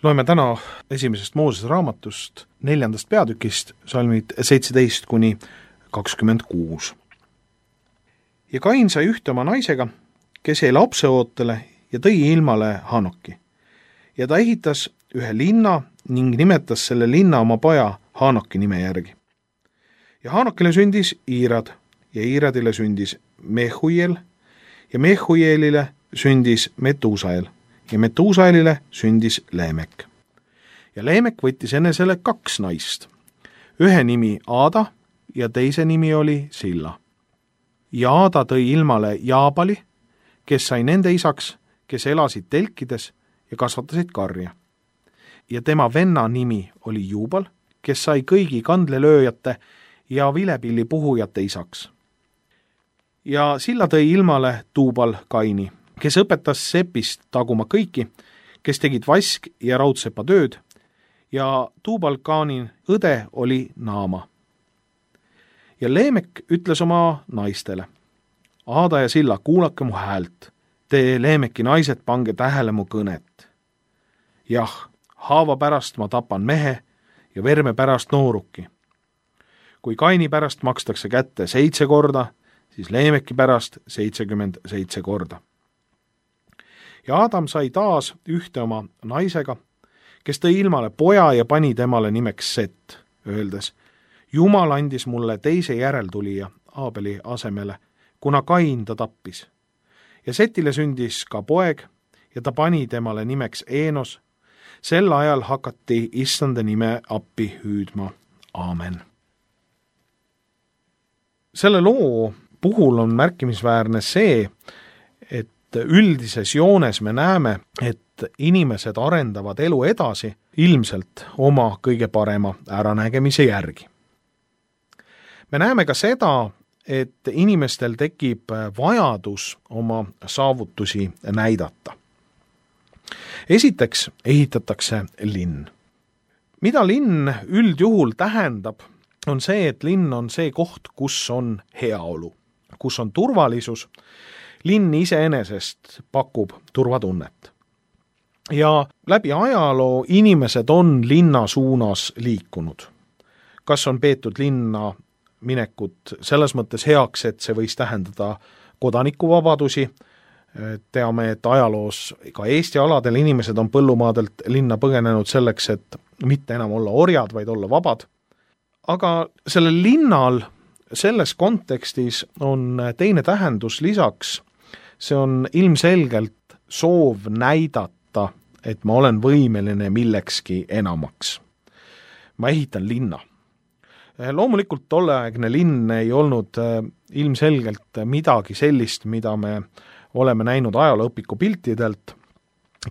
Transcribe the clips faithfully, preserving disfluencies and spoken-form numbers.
Loeme täna esimesest Moosese raamatust neljandast peatükist, salmid seitseteist kuni kakskümmend kuus. Ja Kain sai ühte oma naisega, kes jäi lapseootele ja tõi ilmale Hanoki. Ja ta ehitas ühe linna ning nimetas selle linna oma poja Hanoki nime järgi. Ja Hanokile sündis Iirad ja Iiradile sündis Mehuiel ja Mehuielile sündis Metuusael ja Metuusaelile sündis Leemek. Ja Leemek võttis enesele kaks naist. Ühe nimi Aada ja teise nimi oli Silla. Ja Aada tõi ilmale Jaabali, kes sai nende isaks, kes elasid telkides ja kasvatasid karja. Ja tema venna nimi oli Juubal, kes sai kõigi kandlelööjate ja vilepilli puhujate isaks. Ja Silla tõi ilmale Tuubal Kaini, kes õpetas sepist taguma kõiki, kes tegid vask- ja raudsepa tööd, ja Tuubal Kaani õde oli Naama. Ja Leemek ütles oma naistele, Aada ja Silla, kuulake mu häält, te Leemeki naised, pange tähele mu kõnet. Jah, haava pärast ma tapan mehe ja verme pärast nooruki. Kui Kaini pärast makstakse kätte seitse korda, siis Leemeki pärast seitsekümmend seitse korda. Ja Adam sai taas ühte oma naisega, kes tõi ilmale poja ja pani temale nimeks Set, öeldes, Jumal andis mulle teise järeltulija Aabeli asemele, kuna Kain ta tappis. Ja Setile sündis ka poeg ja ta pani temale nimeks Eenos. Sel ajal hakati issanda nime appi hüüdma. Aamen. Selle loo puhul on märkimisväärne see, et üldises joones me näeme, et inimesed arendavad elu edasi ilmselt oma kõige parema äranägemise järgi. Me näeme ka seda, et inimestel tekib vajadus oma saavutusi näidata. Esiteks ehitatakse linn. Mida linn üldjuhul tähendab, on see, et linn on see koht, kus on heaolu, kus on turvalisus. Linn iseenesest pakub turvatunnet. Ja läbi ajaloo inimesed on linna suunas liikunud. Kas on peetud linna minekut selles mõttes heaks, et see võis tähendada kodanikuvabadusi. Teame, et ajaloos ka Eesti aladel inimesed on põllumaadelt linna põgenenud selleks, et mitte enam olla orjad, vaid olla vabad. Aga sellel linnal selles kontekstis on teine tähendus lisaks. See on ilmselgelt soov näidata, et ma olen võimeline millekski enamaks. Ma ehitan linna. Loomulikult tolleaegne linn ei olnud ilmselgelt midagi sellist, mida me oleme näinud ajalooõpiku piltidelt,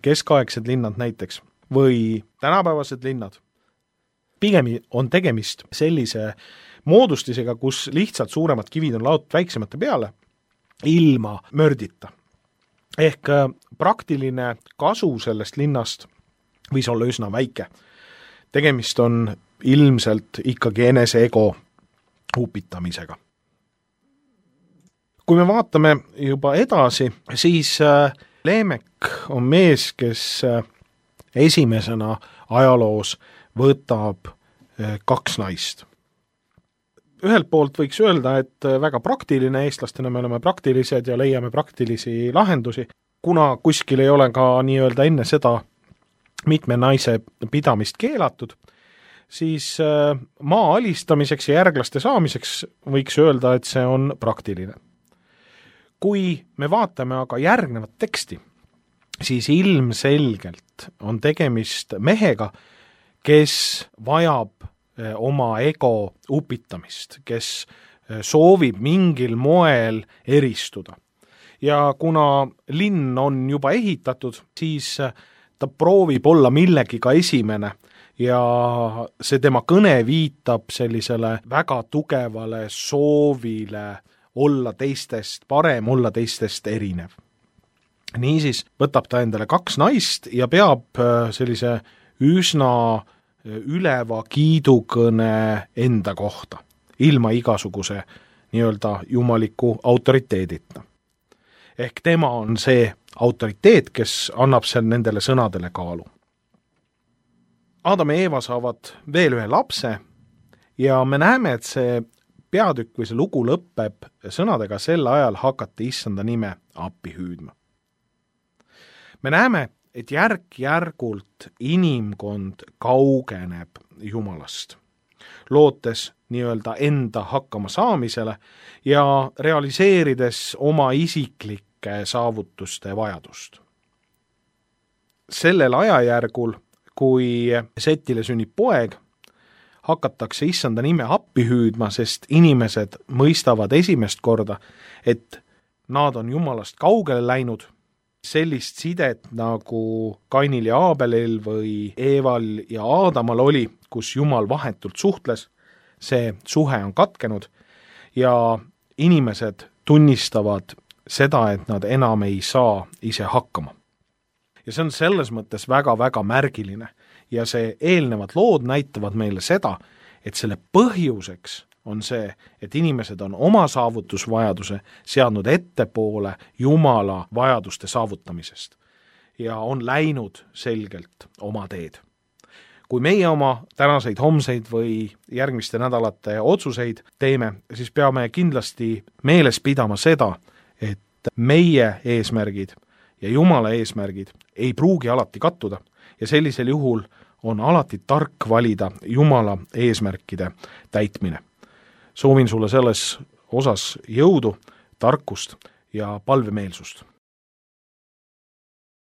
keskaegsed linnad näiteks, või tänapäevased linnad. Pigem on tegemist sellise moodustisega, kus lihtsalt suuremad kivid on laotud väiksemate peale, ilma mördita. Ehk praktiline kasu sellest linnast võis olla üsna väike. Tegemist on ilmselt ikkagi enese ego upitamisega. Kui me vaatame juba edasi, siis Leemek on mees, kes esimesena ajaloos võtab kaks naist. Ühelt poolt võiks öelda, et väga praktiline, eestlastena me oleme praktilised ja leiame praktilisi lahendusi, kuna kuskil ei ole ka nii-öelda enne seda mitme naise pidamist keelatud, siis maa alistamiseks ja järglaste saamiseks võiks öelda, et see on praktiline. Kui me vaatame aga järgnevat teksti, siis ilmselgelt on tegemist mehega, kes vajab oma ego upitamist, kes soovib mingil moel eristuda. Ja kuna linn on juba ehitatud, siis ta proovib olla millegiga esimene ja see tema kõne viitab sellisele väga tugevale soovile olla teistest parem, olla teistest erinev. Niisiis võtab ta endale kaks naist ja peab sellise üsna üleva kiidukõne enda kohta, ilma igasuguse nii-öelda jumaliku autoriteedita. Ehk tema on see autoriteet, kes annab seal nendele sõnadele kaalu. Aadam ja Eeva saavad veel ühe lapse ja me näeme, et see peatükk või see lugu lõpeb sõnadega sel ajal hakati issanda nime appi hüüdma. Me näeme, et järk-järgult inimkond kaugeneb Jumalast, lootes nii-öelda enda hakkama saamisele ja realiseerides oma isiklike saavutuste vajadust. Sellel ajajärgul, kui Setile sünnib poeg, hakatakse issanda nime appi hüüdma, sest inimesed mõistavad esimest korda, et nad on Jumalast kaugele läinud. Sellist sidet nagu Kainil ja Aabelil või Eeval ja Aadamal oli, kus Jumal vahetult suhtles, see suhe on katkenud ja inimesed tunnistavad seda, et nad enam ei saa ise hakkama. Ja see on selles mõttes väga-väga märgiline ja see eelnevad lood näitavad meile seda, et selle põhjuseks on see, et inimesed on oma saavutusvajaduse seadnud ettepoole Jumala vajaduste saavutamisest ja on läinud selgelt oma teed. Kui meie oma tänaseid, homseid või järgmiste nädalate otsuseid teeme, siis peame kindlasti meeles pidama seda, et meie eesmärgid ja Jumala eesmärgid ei pruugi alati kattuda ja sellisel juhul on alati tark valida Jumala eesmärkide täitmine. Soovin sulle selles osas jõudu, tarkust ja palvemeelsust.